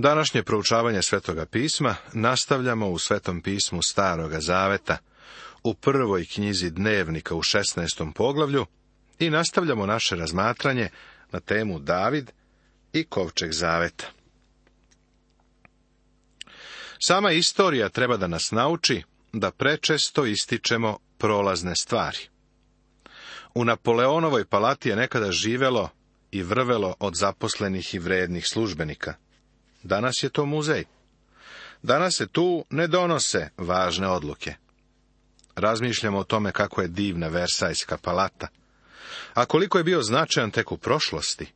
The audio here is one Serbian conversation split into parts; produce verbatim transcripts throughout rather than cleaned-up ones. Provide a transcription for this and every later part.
Današnje proučavanje Svetoga pisma nastavljamo u Svetom pismu Staroga zaveta, u prvoj knjizi Dnevnika u šesnaestom poglavlju i nastavljamo naše razmatranje na temu David i kovčeg zaveta. Sama istorija treba da nas nauči da prečesto ističemo prolazne stvari. U Napoleonovoj palati je nekada živelo i vrvelo od zaposlenih i vrednih službenika. Danas je to muzej. Danas se tu ne donose važne odluke. Razmišljamo o tome kako je divna Versajska palata. A koliko je bio značajan tek u prošlosti.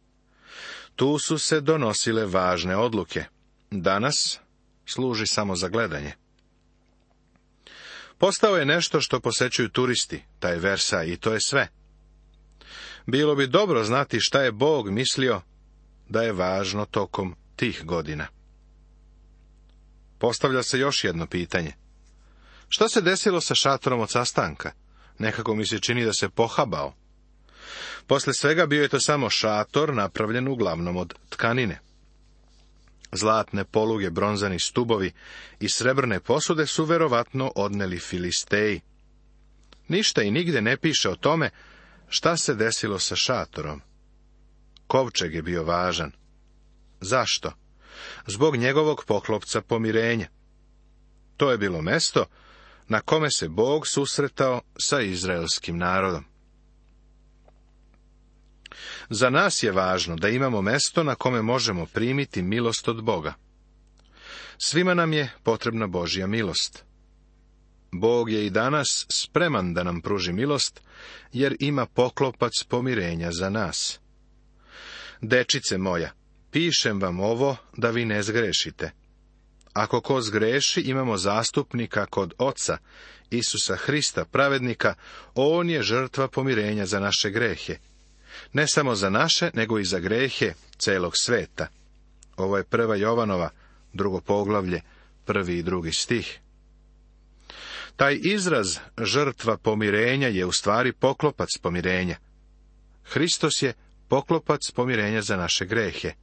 Tu su se donosile važne odluke. Danas služi samo za gledanje. Postao je nešto što posećuju turisti, taj Versaj, i to je sve. Bilo bi dobro znati šta je Bog mislio da je važno tokom tih godina. Postavlja se još jedno pitanje. Šta se desilo sa šatorom od sastanka? Nekako mi se čini da se pohabao. Posle svega bio je to samo šator napravljen uglavnom od tkanine. Zlatne poluge, bronzani stubovi i srebrne posude su verovatno odneli Filisteji. Ništa i nigde ne piše o tome šta se desilo sa šatorom. Kovčeg je bio važan. Zašto? Zbog njegovog poklopca pomirenja. To je bilo mesto na kome se Bog susretao sa izraelskim narodom. Za nas je važno da imamo mesto na kome možemo primiti milost od Boga. Svima nam je potrebna Božja milost. Bog je i danas spreman da nam pruži milost, jer ima poklopac pomirenja za nas. Dečice moja, pišem vam ovo da vi ne zgrešite. Ako ko zgreši, imamo zastupnika kod Oca, Isusa Hrista, pravednika, on je žrtva pomirenja za naše grehe. Ne samo za naše, nego i za grehe celog sveta. Ovo je prva Jovanova, drugo poglavlje, prvi i drugi stih. Taj izraz žrtva pomirenja je u stvari poklopac pomirenja. Hristos je poklopac pomirenja za naše grehe.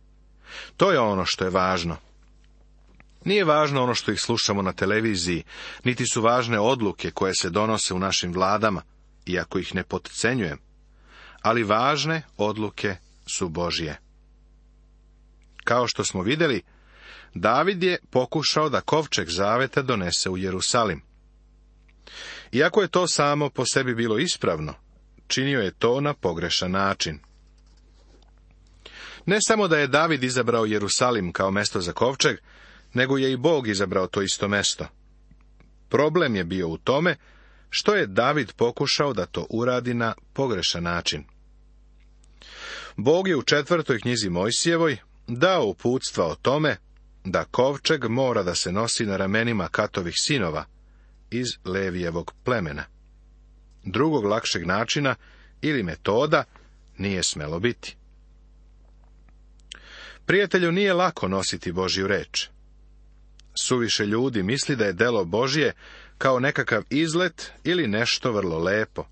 To je ono što je važno. Nije važno ono što ih slušamo na televiziji, niti su važne odluke koje se donose u našim vladama, iako ih ne potcenjujem. Ali važne odluke su Božje. Kao što smo vidjeli, David je pokušao da kovčeg zaveta donese u Jerusalim. Iako je to samo po sebi bilo ispravno, činio je to na pogrešan način. Ne samo da je David izabrao Jerusalim kao mesto za kovčeg, nego je i Bog izabrao to isto mesto. Problem je bio u tome što je David pokušao da to uradi na pogrešan način. Bog je u četvrtoj knjizi Mojsijevoj dao uputstva o tome da kovčeg mora da se nosi na ramenima Katovih sinova iz Levijevog plemena. Drugog lakšeg načina ili metoda nije smelo biti. Prijatelju, nije lako nositi Božju reč. Suviše ljudi misli da je delo Božje kao nekakav izlet ili nešto vrlo lepo.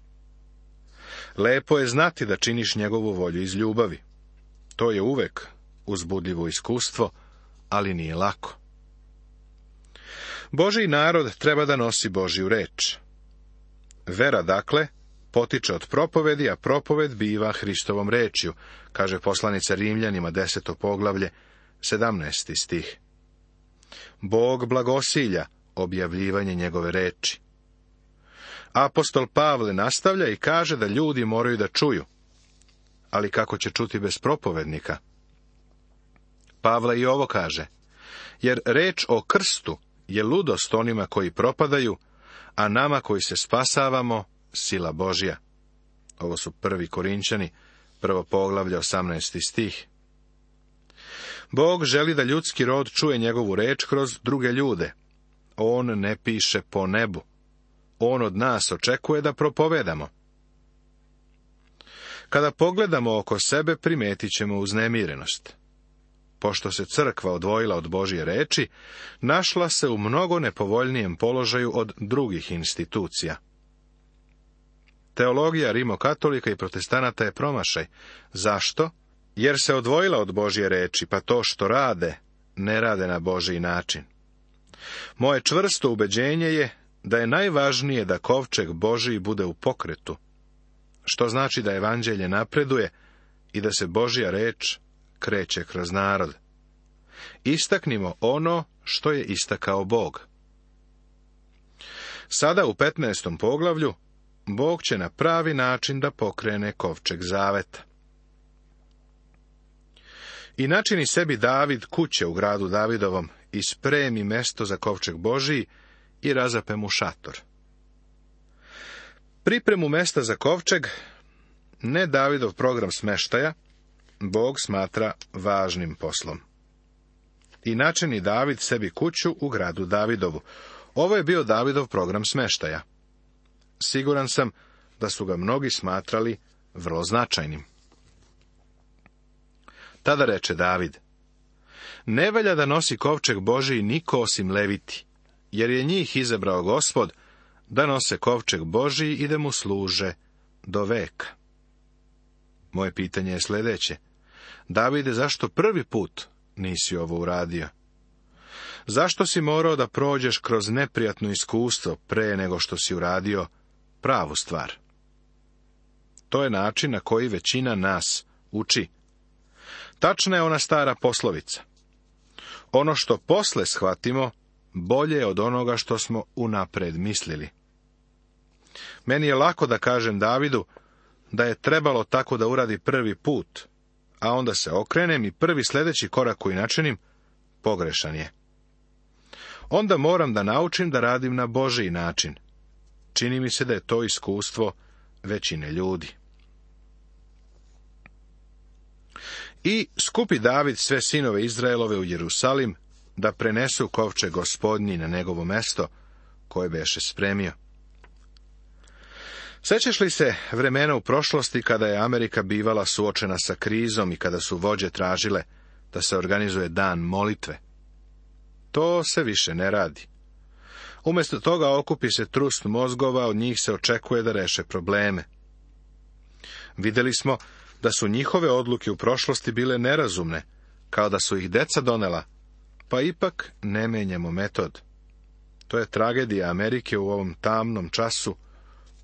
Lepo je znati da činiš njegovu volju iz ljubavi. To je uvek uzbudljivo iskustvo, ali nije lako. Božji narod treba da nosi Božju reč. Vera, dakle, potiče od propovedi, a propoved biva Hristovom rečju, kaže poslanica Rimljanima, deseto poglavlje, sedamnaesti stih. Bog blagosilja objavljivanje njegove reči. Apostol Pavle nastavlja i kaže da ljudi moraju da čuju. Ali kako će čuti bez propovednika? Pavle i ovo kaže, jer reč o krstu je ludost onima koji propadaju, a nama koji se spasavamo, sila Božja. Ovo su prvi Korinćani, prvo poglavlje, osamnaesti stih. Bog želi da ljudski rod čuje njegovu reč kroz druge ljude. On ne piše po nebu. On od nas očekuje da propovedamo. Kada pogledamo oko sebe, primetit ćemo uznemirenost. Pošto se crkva odvojila od Božje reči, našla se u mnogo nepovoljnijem položaju od drugih institucija. Teologija rimokatolika i protestanata je promašaj. Zašto? Jer se odvojila od Božje reči, pa to što rade ne rade na Božji način. Moje čvrsto ubeđenje je da je najvažnije da kovčeg Božji bude u pokretu, što znači da evanđelje napreduje i da se Božja reč kreće kroz narod. Istaknimo ono što je istakao Bog. Sada u petnaestom poglavlju Bog će na pravi način da pokrene kovčeg zaveta. I načini sebi David kuće u gradu Davidovom i spremi mesto za kovčeg Božiji i razape mu šator. Pripremu mesta za kovčeg, ne Davidov program smeštaja, Bog smatra važnim poslom. I načini David sebi kuću u gradu Davidovu. Ovo je bio Davidov program smeštaja. Siguran sam da su ga mnogi smatrali vrlo značajnim. Tada reče David: ne valja da nosi kovčeg Božiji niko osim Leviti, jer je njih izabrao Gospod da nose kovčeg Božiji i da mu služe do veka. Moje pitanje je sljedeće: Davide, zašto prvi put nisi ovo uradio? Zašto si morao da prođeš kroz neprijatno iskustvo pre nego što si uradio pravu stvar? To je način na koji većina nas uči. Tačna je ona stara poslovica: ono što posle shvatimo, bolje je od onoga što smo unapred mislili. Meni je lako da kažem Davidu da je trebalo tako da uradi prvi put, a onda se okrenem i prvi sljedeći korak koji načinim pogrešan je. Onda moram da naučim da radim na Božji način. Čini mi se da je to iskustvo većine ljudi. I skupi David sve sinove Izraelove u Jerusalim da prenesu kovčeg Gospodnji na njegovo mesto koje beše spremio. Sećaš li se vremena u prošlosti kada je Amerika bivala suočena sa krizom i kada su vođe tražile da se organizuje dan molitve? To se više ne radi. Umjesto toga okupi se trust mozgova, od njih se očekuje da reše probleme. Vidjeli smo da su njihove odluke u prošlosti bile nerazumne, kao da su ih deca donela, pa ipak ne menjamo metod. To je tragedija Amerike u ovom tamnom času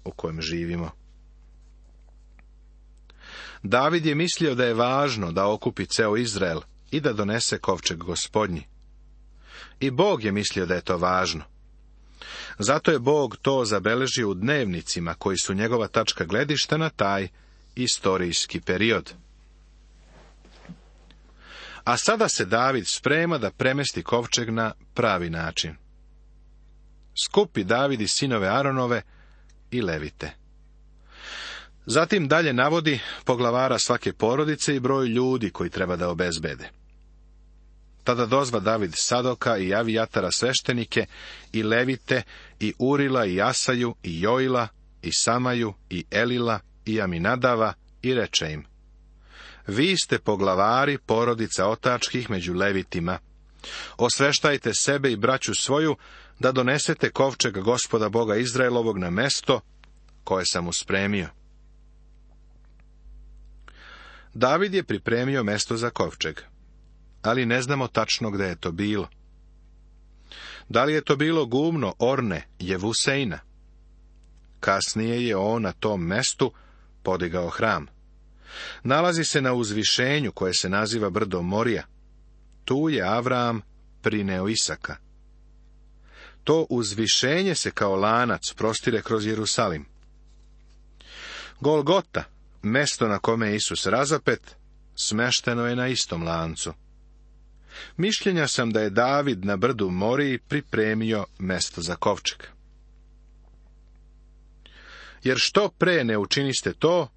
u kojem živimo. David je mislio da je važno da okupi ceo Izrael i da donese kovčeg Gospodnji. I Bog je mislio da je to važno. Zato je Bog to zabeležio u dnevnicima koji su njegova tačka gledišta na taj istorijski period. A sada se David sprema da premesti kovčeg na pravi način. Skupi David i sinove Aronove i Levite. Zatim dalje navodi poglavara svake porodice i broj ljudi koji treba da obezbede. Tada dozva David Sadoka i Avijatara sveštenike i Levite i Urila i Asaju i Joila i Samaju i Elila i Aminadava i reče im: vi ste poglavari porodica otačkih među Levitima. Osveštajte sebe i braću svoju da donesete kovčeg Gospoda Boga Izraelovog na mesto koje sam mu spremio. David je pripremio mesto za kovčeg, ali ne znamo tačno gde je to bilo. Da li je to bilo gumno Orne Jevuseina? Kasnije je on na tom mestu podigao hram. Nalazi se na uzvišenju koje se naziva brdo Morija. Tu je Avram prineo Isaka. To uzvišenje se kao lanac prostire kroz Jerusalim. Golgota, mesto na kome je Isus razapet, smešteno je na istom lancu. Mišljenja sam da je David na brdu Moriji pripremio mesto za kovčeg. Jer što pre ne učiniste to,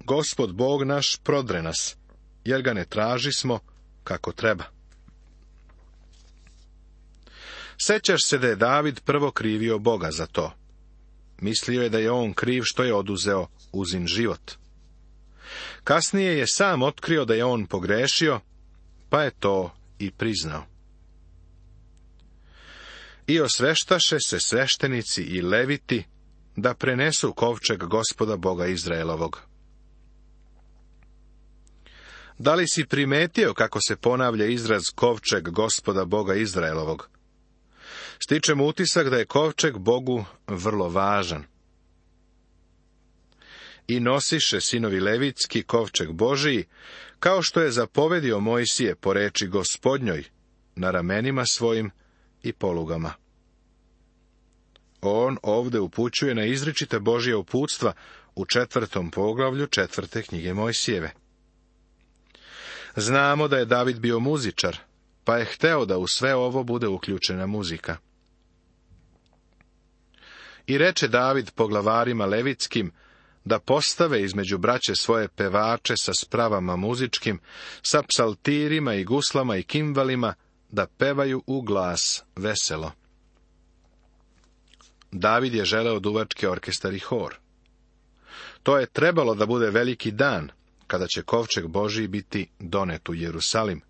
Gospod Bog naš prodre nas, jer ga ne tražismo kako treba. Sećaš se da je David prvo krivio Boga za to. Mislio je da je on kriv što je oduzeo Uzin život. Kasnije je sam otkrio da je on pogrešio, pa je to i priznao. I osveštaše se sveštenici i Leviti da prenesu kovčeg Gospoda Boga Izraelovog. Da li si primetio kako se ponavlja izraz kovčeg Gospoda Boga Izraelovog? Stičem utisak da je kovčeg Bogu vrlo važan. I nosiše sinovi levitski kovčeg Božiji, kao što je zapovedio Mojsije po reči Gospodnjoj, na ramenima svojim i polugama. On ovde upućuje na izričita Božja uputstva u četvrtom poglavlju četvrte knjige Mojsijeve. Znamo da je David bio muzičar, pa je hteo da u sve ovo bude uključena muzika. I reče David poglavarima levitskim da postave između braće svoje pevače sa spravama muzičkim, sa psaltirima i guslama i kimvalima, da pevaju u glas veselo. David je želeo duvački orkestar i hor. To je trebalo da bude veliki dan, kada će kovčeg Božiji biti donet u Jerusalim.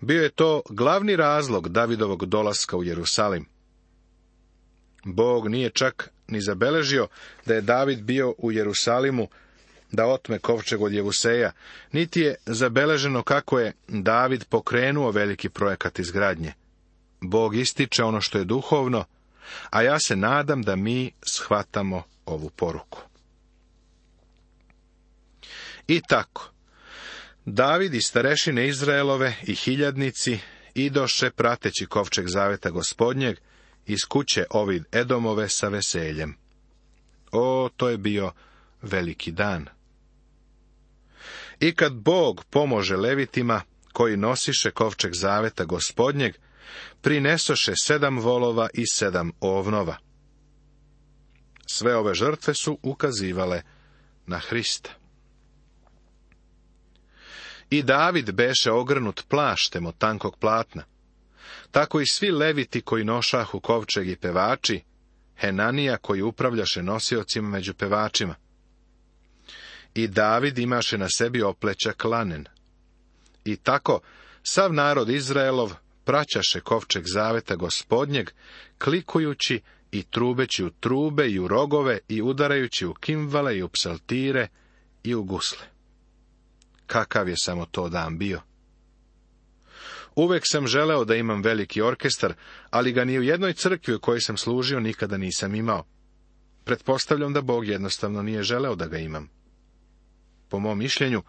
Bio je to glavni razlog Davidovog dolaska u Jerusalim. Bog nije čak ni zabeležio da je David bio u Jerusalimu da otme kovčeg od Jevuseja, niti je zabeleženo kako je David pokrenuo veliki projekat izgradnje. Bog ističe ono što je duhovno, a ja se nadam da mi shvatamo ovu poruku. I tako, David i starešine Izraelove i hiljadnici idoše prateći kovčeg zaveta Gospodnjeg iz kuće Ovid Edomove sa veseljem. O, to je bio veliki dan. I kad Bog pomože levitima, koji nosiše kovčeg zaveta Gospodnjeg, prinesoše sedam volova i sedam ovnova. Sve ove žrtve su ukazivale na Hrista. I David beše ogrnut plaštem od tankog platna. Tako i svi leviti koji nošahu kovčeg i pevači, Henanija koji upravljaše nosiocima među pevačima. I David imaše na sebi oplećak lanen. I tako sav narod Izraelov praćaše kovčeg zaveta Gospodnjeg, klikujući i trubeći u trube i u rogove i udarajući u kimvale i u psaltire i u gusle. Kakav je samo to dan bio! Uvek sam želeo da imam veliki orkestar, ali ga ni u jednoj crkvi u kojoj sam služio nikada nisam imao. Pretpostavljam da Bog jednostavno nije želeo da ga imam. Po mom mišljenju,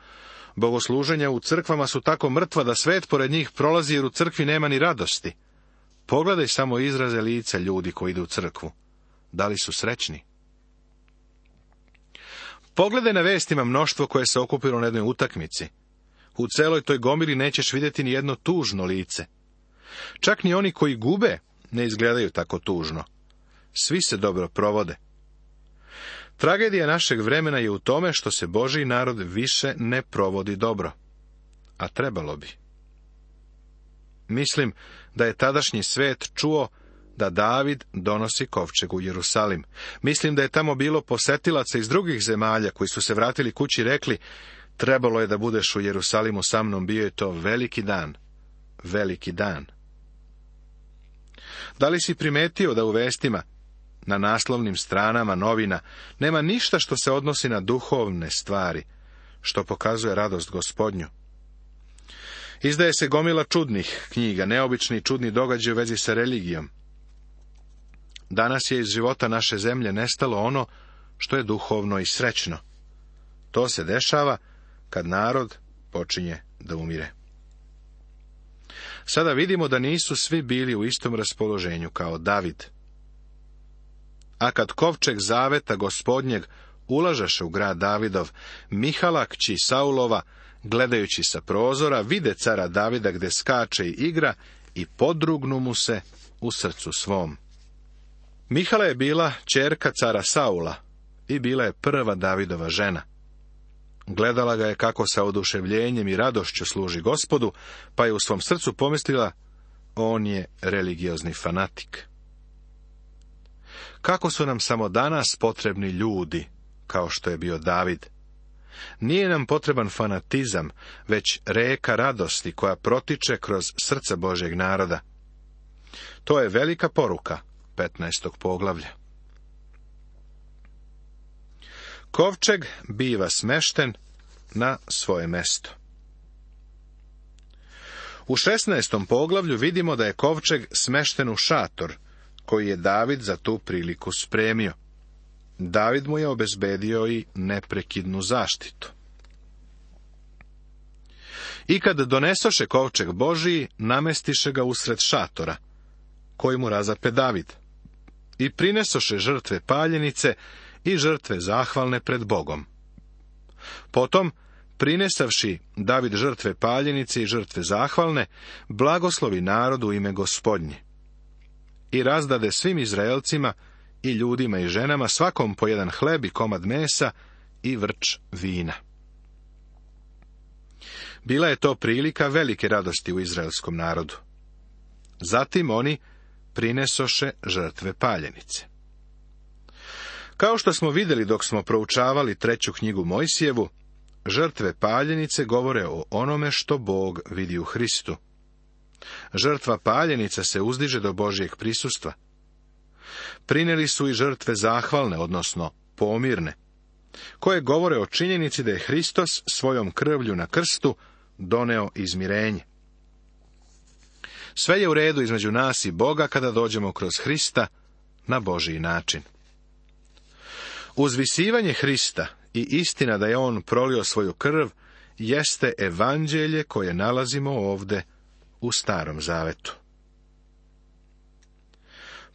bogosluženja u crkvama su tako mrtva da svet pored njih prolazi jer u crkvi nema ni radosti. Pogledaj samo izraze lica ljudi koji idu u crkvu. Da li su srećni? Pogledaj na vestima mnoštvo koje se okupilo na jednoj utakmici. U celoj toj gomili nećeš vidjeti ni jedno tužno lice. Čak ni oni koji gube ne izgledaju tako tužno. Svi se dobro provode. Tragedija našeg vremena je u tome što se Božji narod više ne provodi dobro. A trebalo bi. Mislim da je tadašnji svet čuo da David donosi kovčeg u Jerusalim. Mislim da je tamo bilo posetilaca iz drugih zemalja koji su se vratili kući i rekli: trebalo je da budeš u Jerusalimu sa mnom, bio je to veliki dan. Veliki dan. Da li si primetio da u vestima, na naslovnim stranama novina, nema ništa što se odnosi na duhovne stvari, što pokazuje radost Gospodnju? Izdaje se gomila čudnih knjiga, neobični i čudni događaji u vezi sa religijom. Danas je iz života naše zemlje nestalo ono što je duhovno i srećno. To se dešava kad narod počinje da umire. Sada vidimo da nisu svi bili u istom raspoloženju kao David. A kad kovčeg zaveta Gospodnjeg ulažaše u grad Davidov, Mihala, kći Saulova, gledajući sa prozora, vide cara Davida gde skače i igra i podrugnu mu se u srcu svom. Mihala je bila ćerka cara Saula i bila je prva Davidova žena. Gledala ga je kako sa oduševljenjem i radošću služi Gospodu, pa je u svom srcu pomislila: on je religiozni fanatik. Kako su nam samo danas potrebni ljudi, kao što je bio David. Nije nam potreban fanatizam, već reka radosti koja protiče kroz srca Božjeg naroda. To je velika poruka petnaestog poglavlja. Kovčeg biva smešten na svoje mesto. U šesnaestom poglavlju vidimo da je kovčeg smešten u šator, koji je David za tu priliku spremio. David mu je obezbedio i neprekidnu zaštitu. I kad donesoše kovčeg Božiji, namestiše ga usred šatora, koji mu razape David, i prinesoše žrtve paljenice i žrtve zahvalne pred Bogom. Potom, prinesavši David žrtve paljenice i žrtve zahvalne, blagoslovi narodu u ime Gospodnje. I razdade svim Izraelcima i ljudima i ženama svakom po jedan hleb i komad mesa i vrč vina. Bila je to prilika velike radosti u izraelskom narodu. Zatim oni prinesoše žrtve paljenice. Kao što smo vidjeli dok smo proučavali treću knjigu Mojsijevu, žrtve paljenice govore o onome što Bog vidi u Hristu. Žrtva paljenica se uzdiže do Božjeg prisustva. Prineli su i žrtve zahvalne, odnosno pomirne, koje govore o činjenici da je Hristos svojom krvlju na krstu doneo izmirenje. Sve je u redu između nas i Boga kada dođemo kroz Hrista na Božji način. Uzvisivanje Hrista i istina da je on prolio svoju krv jeste evanđelje koje nalazimo ovde u Starom Zavetu.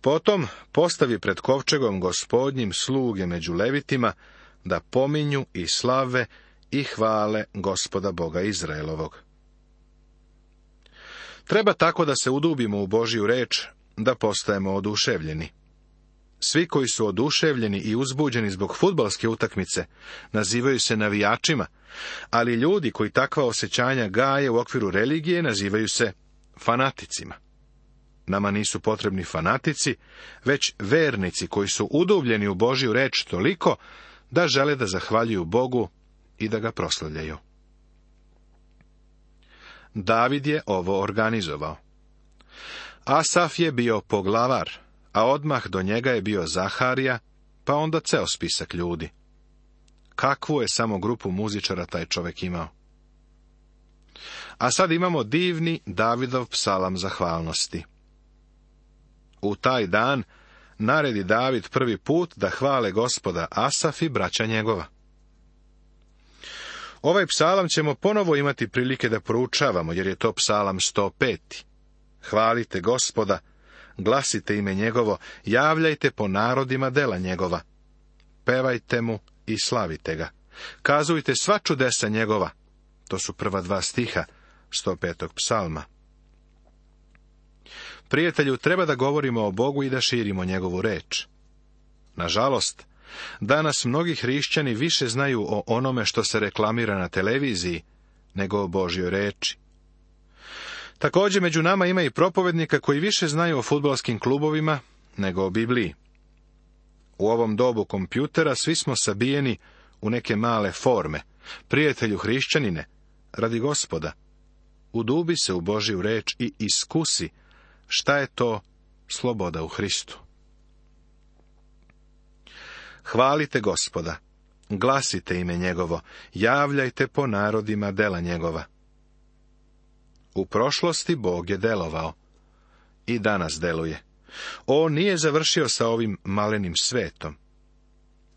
Potom postavi pred kovčegom Gospodnjim sluge među levitima da pominju i slave i hvale Gospoda Boga Izraelovog. Treba tako da se udubimo u Božju reč, da postajemo oduševljeni. Svi koji su oduševljeni i uzbuđeni zbog fudbalske utakmice nazivaju se navijačima, ali ljudi koji takva osjećanja gaje u okviru religije nazivaju se fanaticima. Nama nisu potrebni fanatici, već vernici koji su udubljeni u Božju reč toliko da žele da zahvaljuju Bogu i da ga proslavljaju. David je ovo organizovao. Asaf je bio poglavar, a odmah do njega je bio Zaharija, pa onda ceo spisak ljudi. Kakvu je samo grupu muzičara taj čovjek imao. A sad imamo divni Davidov psalam zahvalnosti. U taj dan naredi David prvi put da hvale Gospoda Asaf i braća njegova. Ovaj psalam ćemo ponovo imati prilike da proučavamo, jer je to psalam sto pet. Hvalite Gospoda, glasite ime njegovo, javljajte po narodima dela njegova. Pevajte mu i slavite ga. Kazujte sva čudesa njegova. To su prva dva stiha sto petog psalma. Prijatelju, treba da govorimo o Bogu i da širimo njegovu reč. Nažalost, danas mnogi hrišćani više znaju o onome što se reklamira na televiziji, nego o Božjoj reči. Također među nama ima i propovednika koji više znaju o fudbalskim klubovima nego o Bibliji. U ovom dobu kompjutera svi smo sabijeni u neke male forme. Prijatelju hrišćanine, radi Gospoda, udubi se u Božju reč i iskusi šta je to sloboda u Hristu. Hvalite Gospoda, glasite ime njegovo, javljajte po narodima dela njegova. U prošlosti Bog je delovao i danas deluje. On nije završio sa ovim malenim svetom.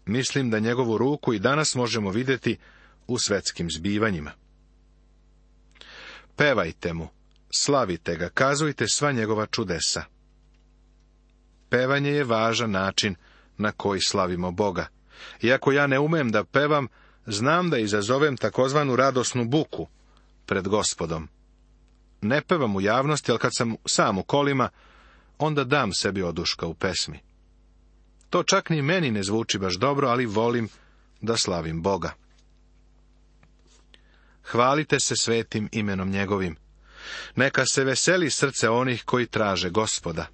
Mislim da njegovu ruku i danas možemo vidjeti u svetskim zbivanjima. Pevajte mu, slavite ga, kazujte sva njegova čudesa. Pevanje je važan način na koji slavimo Boga. Iako ja ne umem da pevam, znam da izazovem takozvanu radosnu buku pred Gospodom. Ne pevam u javnosti, ali kad sam sam u kolima, onda dam sebi oduška u pesmi. To čak ni meni ne zvuči baš dobro, ali volim da slavim Boga. Hvalite se svetim imenom njegovim. Neka se veseli srce onih koji traže Gospoda.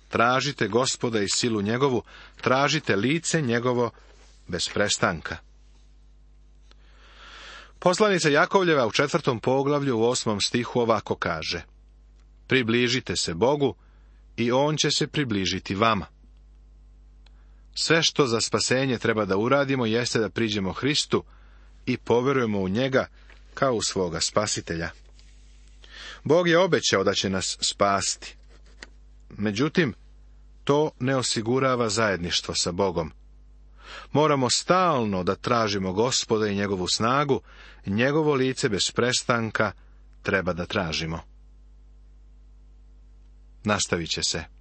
Tražite Gospoda i silu njegovu, tražite lice njegovo bez prestanka. Poslanica Jakovljeva u četvrtom poglavlju u osmom stihu ovako kaže: Približite se Bogu i on će se približiti vama. Sve što za spasenje treba da uradimo jeste da priđemo Hristu i poverujemo u njega kao u svoga spasitelja. Bog je obećao da će nas spasti. Međutim, to ne osigurava zajedništvo sa Bogom. Moramo stalno da tražimo Gospoda i njegovu snagu, njegovo lice bez prestanka treba da tražimo. Nastavit će se.